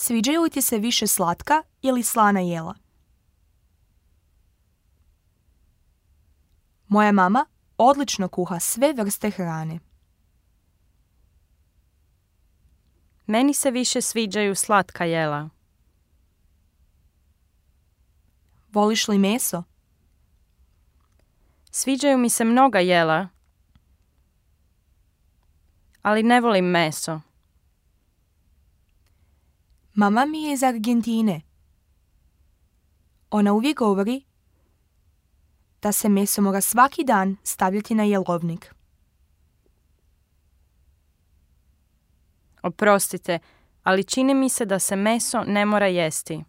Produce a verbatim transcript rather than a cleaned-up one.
Sviđaju li ti se više slatka ili slana jela? Moja mama odlično kuha sve vrste hrane. Meni se više sviđaju slatka jela. Voliš li meso? Sviđaju mi se mnoga jela, ali ne volim meso. Mama mi je iz Argentine. Ona uvijek govori da se meso mora svaki dan stavljati na jelovnik. Oprostite, ali čini mi se da se meso ne mora jesti.